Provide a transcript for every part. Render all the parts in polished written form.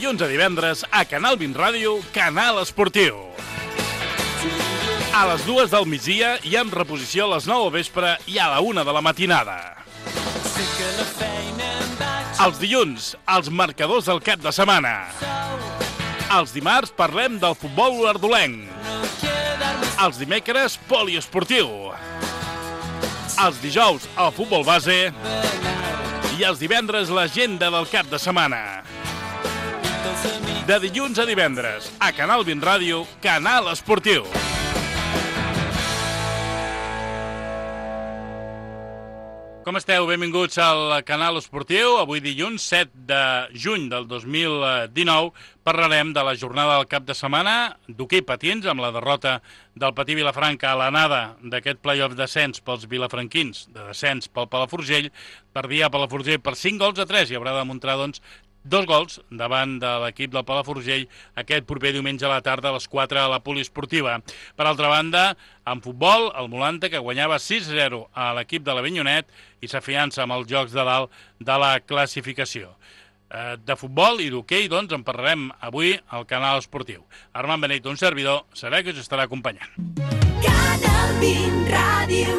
dilluns a divendres a Canal 20 Ràdio, Canal Esportiu. A les 2 del migdia i amb reposició a les 9 del vespre i a la 1 de la matinada. Els dilluns, els marcadors del cap de setmana. Els dimarts parlem del futbol olordolenc. Els dimecres, poliesportiu. Els dijous, el futbol base. I els divendres, l'agenda del cap de setmana. De dilluns a divendres, a Canal 20 Ràdio, Canal Esportiu. Com esteu? Benvinguts al Canal Esportiu. Avui dilluns, 7 de juny del 2019, parlarem de la jornada del cap de setmana d'hoquei patins, amb la derrota del Patí Vilafranca a l'anada d'aquest play-off descens pels vilafranquins, de descens pel Palafrugell. Perdia Palafrugell per 5-3 i haurà de demostrar, doncs, 2 gols davant de l'equip del Palafrugell aquest proper diumenge a la tarda a les 4 a la poliesportiva. Per altra banda, en futbol, el Molanta, que guanyava 6-0 a l'equip de l'Avinyonet i s'afiança amb els jocs de dalt de la classificació. De futbol i d'hoquei, doncs, en parlarem avui al Canal Esportiu. Armand Benet, un servidor, serà que us estarà acompanyant. Canal 20 Ràdio.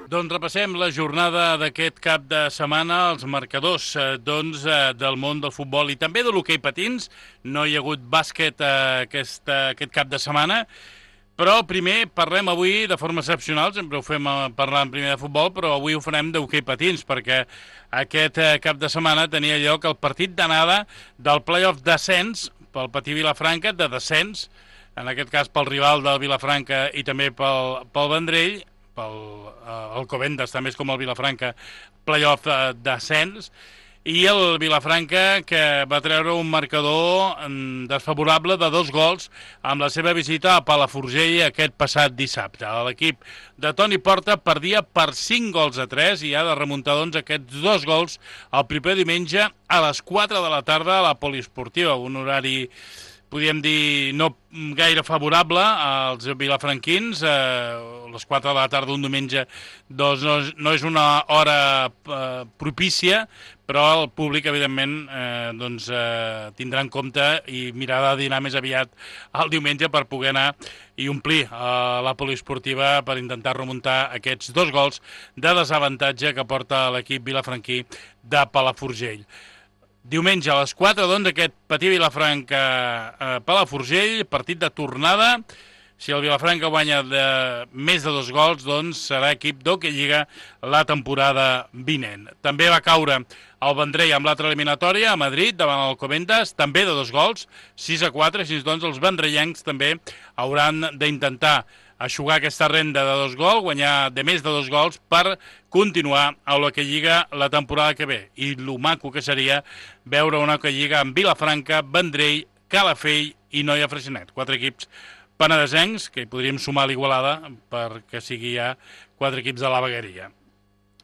Doncs repassem la jornada d'aquest cap de setmana, els marcadors del món del futbol i també de l'hoquei patins. No hi ha hagut bàsquet aquest cap de setmana, però primer parlem avui de forma excepcional, sempre ho fem parlant primer de futbol, però avui ho farem d'hoquei patins, perquè aquest cap de setmana tenia lloc el partit d'anada del play-off descens pel Patí Vilafranca, de descens, en aquest cas pel rival del Vilafranca i també pel Vendrell, el Covendes, també és com el Vilafranca, play-off d'ascens, i el Vilafranca, que va treure un marcador desfavorable de 2 gols amb la seva visita a Palafrugell aquest passat dissabte. L'equip de Toni Porta perdia per 5-3 i ha de remuntar, doncs, aquests 2 gols el proper diumenge a les 4 de la tarda a la poliesportiva, un horari, podríem dir, no gaire favorable als vilafranquins. Les 4 de la tarda un diumenge doncs no és una hora propícia, però el públic, evidentment, tindrà en compte i mirarà de dinar més aviat el diumenge per poder anar i omplir la poliesportiva per intentar remuntar aquests 2 gols de desavantatge que porta l'equip vilafranquí de Palafrugell. Diumenge a les 4, doncs, aquest Patí Vilafranca Palafrugell, partit de tornada. Si el Vilafranca guanya més de 2 gols, doncs serà equip d'hoquei lliga la temporada vinent. També va caure el Vendrell amb l'altra eliminatòria a Madrid davant el Covendes, també de 2 gols, 6-4, així doncs els vendrellencs també hauran d'intentar aixugar aquesta renda de 2 gols, guanyar de més de 2 gols per continuar a l'hoquei lliga la temporada que ve. I lo maco que seria veure una hoquei lliga amb Vilafranca, Vendrell, Calafell i Noia Freixenet. 4 equips penedesencs, que hi podríem sumar l'Igualada perquè sigui ja 4 equips de la vegueria.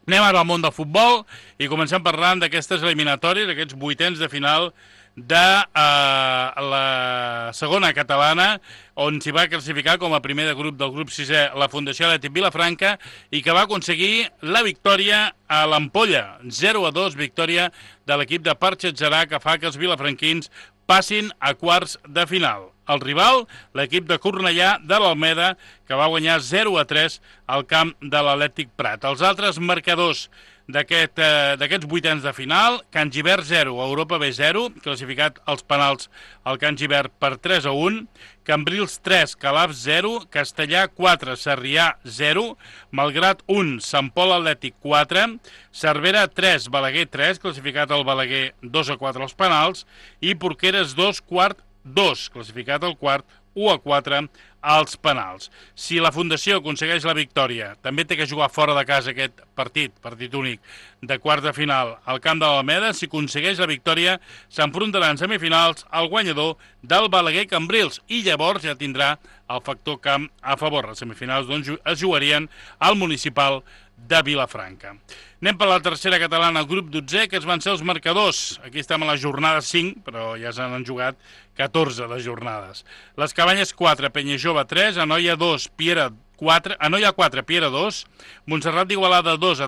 Anem ara al món del futbol i comencem parlant d'aquestes eliminatòries, aquests 8ens de final de la segona catalana, on s'hi va classificar com a primer de grup del grup 6è la Fundació Atlètic Vilafranca i que va aconseguir la victòria a l'Ampolla. 0-2, victòria de l'equip de Parxetxerà, que fa que els vilafranquins passin a quarts de final. El rival, l'equip de Cornellà de l'Almeda, que va guanyar 0-3 al camp de l'Atlètic Prat. Els altres marcadors d'aquests 8ens de final: Can Gibert 0, Europa B 0, classificat als penals el Can Gibert per 3-1, Cambrils 3, Calaf 0, Castellà 4, Sarrià 0, Malgrat 1, Sant Pol Atlètic 4, Cervera 3, Balaguer 3, classificat el Balaguer 2-4 als penals, i Porqueres 2, Quart 2, classificat el Quart 1-4 als penals. Si la Fundació aconsegueix la victòria, també té que jugar fora de casa aquest partit únic de quarts de final al camp de l'Alameda. Si aconsegueix la victòria, s'enfrontarà en semifinals al guanyador del Balaguer Cambrils i llavors ja tindrà el factor camp a favor. Les semifinals, doncs, es jugarien al municipal de Vilafranca. Anem per la tercera catalana, el grup 12, que es van ser els marcadors. Aquí estem a la jornada 5, però ja s'han jugat 14 de jornades. Les Cabanyes 4, Penyajove 3, Anoia 2, Piera 4, Anoia 4, Piera 2, Montserrat d'Igualada 2,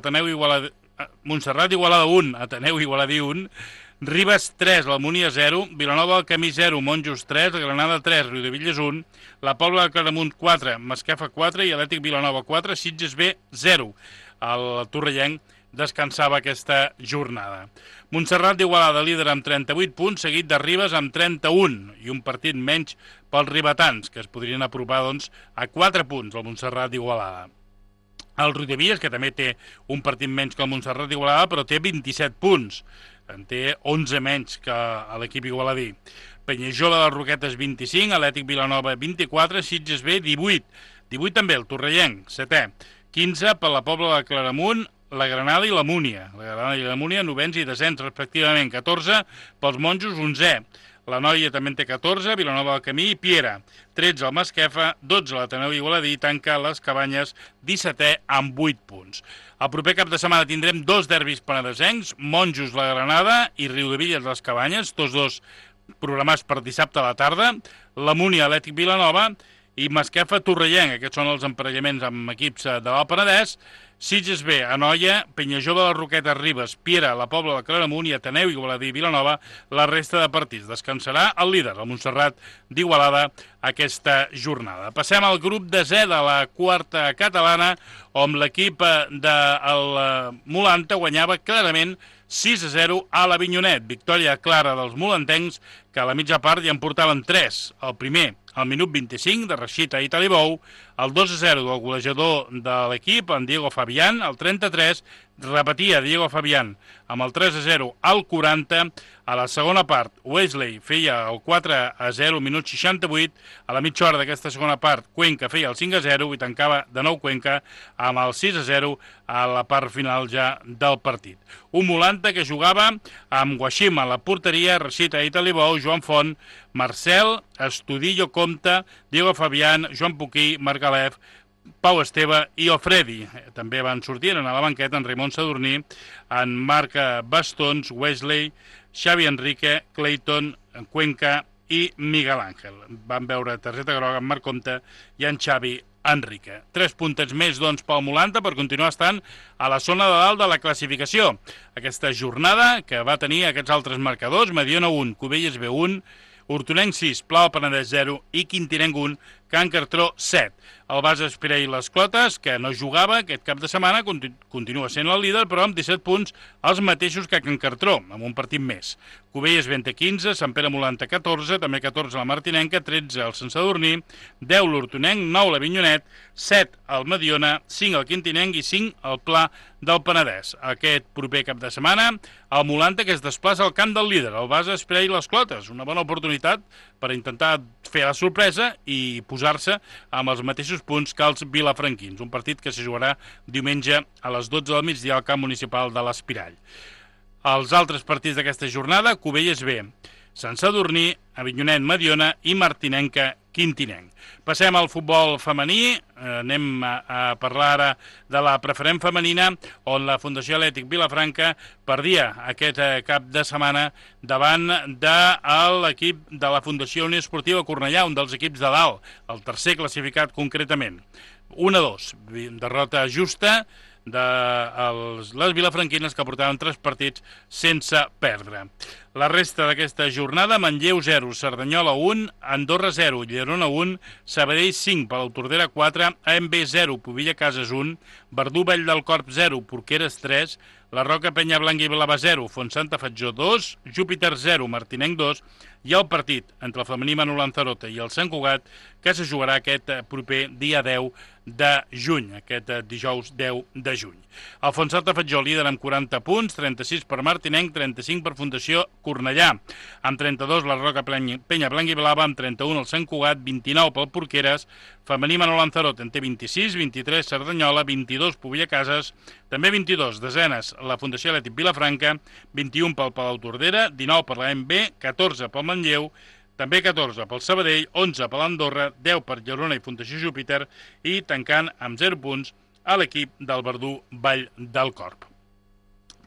Montserrat d'Igualada 1, Ateneu Igualadí 1, Ribes 3, l'Almunia 0, Vilanova del Camí 0, Monjos 3, la Granada 3, Riudebitlles 1, la Pobla de Claramunt 4, Masquefa 4 i Atlètic Vilanova 4, Sitges B 0. El torrellenc descansava aquesta jornada. Montserrat d'Igualada líder amb 38 punts, seguit de Ribes amb 31 i un partit menys pels ribetans, que es podrien apropar doncs, a 4 punts el Montserrat d'Igualada. El Riudebitlles, que també té un partit menys que el Montserrat d'Igualada, però té 27 punts. En té 11 menys que l'equip igualadí. Penyajola de les Roquetes 25, Atlètic Vilanova 24, Sitges B 18. 18 també el Torrellenc, 7è. 15 per la Pobla de Claramunt, la Granada i la Múnia. La Granada i la Múnia, novens i descens, respectivament. 14 pels Monjos, 11è. La Noia també en té 14, Vilanova del Camí i Piera. 13 el Masquefa, 12 l'Ateneu Igualadí, tanca les Cabanyes 17è amb 8 punts. El proper cap de setmana tindrem 2 derbis penedesencs, Monjos la Granada i Riudebitlles les Cabanyes, tots dos programats per dissabte a la tarda, la Múnia Atlètic Vilanova i Masquefa Torrellenc. Aquests són els emparellaments amb equips de l'Alt Penedès. Sitges B, Anoia, Penyajova de les Roquetes, Ribes, Piera, la Pobla de Claramunt i Ateneu, Igualadí i Vilanova, la resta de partits. Descansarà el líder, el Montserrat d'Igualada, aquesta jornada. Passem al grup de Z de la quarta catalana, on l'equip del Molanta guanyava clarament 6-0 a l'Avinyonet. Victòria clara dels molantencs, que a la mitja part ja en portaven 3. El primer, al minut 25, de Rashida i Talibou, el 2-0 del golejador de l'equip, en Diego Fabián, el 33, repetia Diego Fabián amb el 3-0 al 40. A la segona part, Wesley feia el 4-0 al minut 68. A la mitja hora d'aquesta segona part, Cuenca feia el 5-0 i tancava de nou Cuenca amb el 6-0 a la part final ja del partit. Un Molanta que jugava amb Guaxima a la porteria, Rashida i Talibou, Joan Font, Marcel, Estudillo Comte, Diego Fabián, Joan Puquí, Marc Alef, Pau Esteve i Ofredi. També van sortir a la banqueta en Raimon Sadurní, en Marc Bastons, Wesley, Xavi Enrique, Clayton, Cuenca i Miguel Ángel. Van veure targeta groga en Marc Comte i en Xavi Enrique. 3 puntets més, doncs, pel Molanta per continuar estant a la zona de dalt de la classificació. Aquesta jornada que va tenir aquests altres marcadors, Mediona 1, Cubelles B 1, Hortonenc 6, Pla del Penedès 0 i Quintinenc 1, Can Cartró 7. El Basa Espirell i les Clotes, que no jugava aquest cap de setmana, continua sent el líder, però amb 17 punts els mateixos que Can Cartró, amb un partit més. Cubelles B 15, Sant Pere Molanta 14, també 14 la Martinenca, 13 el Sant Sadurní, 10 l'Hortonenc, 9 l'Avinyonet, 7 el Mediona, 5 el Quintinenc i 5 el Pla del Penedès. Aquest proper cap de setmana, el Molanta que es desplaça al camp del líder, el Basa Espirell i les Clotes. Una bona oportunitat per intentar fer la sorpresa i posar-se amb els mateixos punts que els vilafranquins. Un partit que se jugarà diumenge a les 12 del migdia al camp municipal de l'Espirall. Els altres partits d'aquesta jornada, Cubelles B, Sant Sadurní, Avinyonet Mediona i Martinenca Quintinenc. Passem al futbol femení, anem a parlar ara de la preferent femenina, on la Fundació Atlètic Vilafranca perdia aquest cap de setmana davant de l'equip de la Fundació Unió Esportiva Cornellà, un dels equips de dalt, el tercer classificat concretament. 1-2, derrota justa de les vilafranquines que portaven 3 partits sense perdre. La resta d'aquesta jornada, Manlleu 0, Cerdanyola 1, Andorra 0, Llerona 1, Sabadell 5, Palau Tordera 4, AMB 0, Pobilla Cases 1, Verdú Vall del Corp 0, Porqueres 3, La Roca Penya Blanca i Blava 0, Fontsanta Fatjó 2, Júpiter 0, Martinenc 2, i el partit entre el femení Manu Lanzarote i el Sant Cugat, que se jugarà aquest proper dia 10 de juny, aquest dijous 10 de juny. El Fontsanta Fatjó líder amb 40 punts, 36 per Martinenc, 35 per Fundació Cornellà, amb 32 la Roca Penya Blanca i Blava, amb 31 el Sant Cugat, 29 pel Porqueres, femení Manu Lanzarote en té 26, 23 Cerdanyola, 22 Pobilla Cases, també 22 desenes la Fundació Atlètic Vilafranca, 21 pel Palau Tordera, 19 per la MB, 14 pel Manlleu, també 14 pel Sabadell, 11 per l'Andorra, 10 per Llerona i Fundació Júpiter i tancant amb 0 punts a l'equip del Verdú Vall del Corp.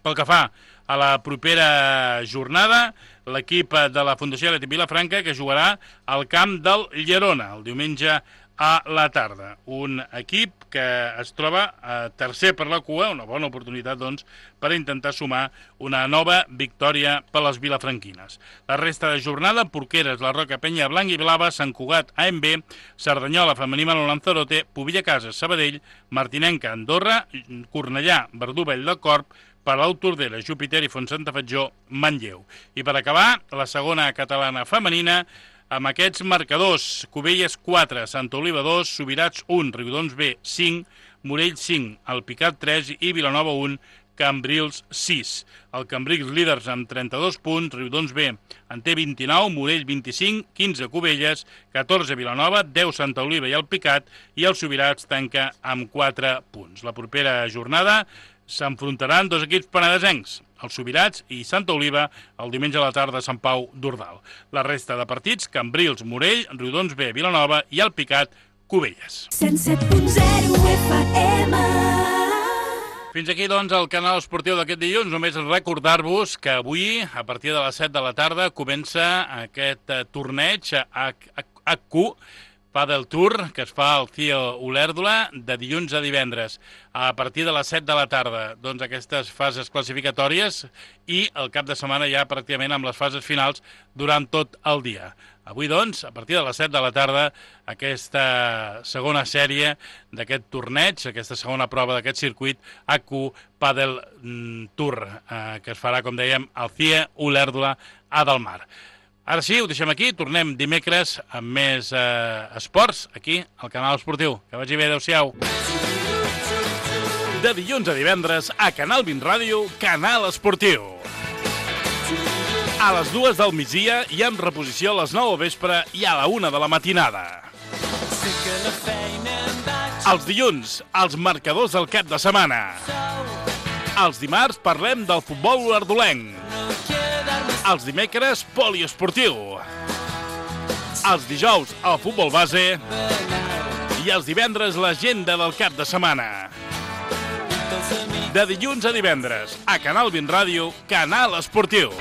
Pel que fa a la propera jornada l'equip de la Fundació Atlètic Vilafranca, que jugarà al camp del Llerona el diumenge a la tarda. Un equip que es troba tercer per la cua, una bona oportunitat, doncs, per intentar sumar una nova victòria per les vilafranquines. La resta de jornada, Porqueres, La Roca, Penya Blanc i Blava, Sant Cugat, AMB, Cerdanyola, Femení, Lanzarote, Pobilla Cases, Sabadell, Martinenca, Andorra, Cornellà, Verdú, Vall del Corp, Palau, Tordera, Júpiter i Fontsantafatjó, Manlleu. I per acabar, la segona catalana femenina, amb aquests marcadors: Cubelles 4, Santa Oliva 2, Subirats 1, Riudoms B 5, Morell 5, Alpicat 3 i Vilanova 1, Cambrils 6. El Cambrils líders amb 32 punts, Riudoms B en té 29, Morell 25, 15 Cubelles, 14 Vilanova, 10 Santa Oliva i Alpicat, i el Subirats tanca amb 4 punts. La propera jornada s'enfrontaran dos equips penedesencs, els Subirats i Santa Oliva, el diumenge a la tarda a Sant Pau d'Ordal. La resta de partits: Cambrils, Morell, Riudoms B, Vilanova i Alpicat, Cubelles. 107.0 FM. Fins aquí, doncs, el canal esportiu d'aquest dilluns. Només recordar-vos que avui, a partir de les 7 de la tarda, comença aquest torneig HQ Padel Tour, que es fa al CIO Olèrdola de dilluns a divendres, a partir de les 7 de la tarda. Doncs aquestes fases classificatòries i el cap de setmana ja pràcticament amb les fases finals durant tot el dia. Avui, doncs, a partir de les 7 de la tarda, aquesta segona sèrie d'aquest torneig, aquesta segona prova d'aquest circuit HQ Padel Tour, que es farà, com dèiem, al CIO Olèrdola a Delmar. Ara sí, ho deixem aquí, tornem dimecres amb més esports, aquí, al canal esportiu. Que vagi bé, adeu-siau. De dilluns a divendres, a Canal 20 Ràdio, Canal Esportiu. A les 2 del migdia i amb reposició a les 9 del vespre i a la 1 de la matinada. Els dilluns, els marcadors del cap de setmana. Els dimarts parlem del futbol olèrdolenc. Els dimecres, poliesportiu. Els dijous, el futbol base. I els divendres, l'agenda del cap de setmana. De dilluns a divendres, a Canal 20 Ràdio, Canal Esportiu.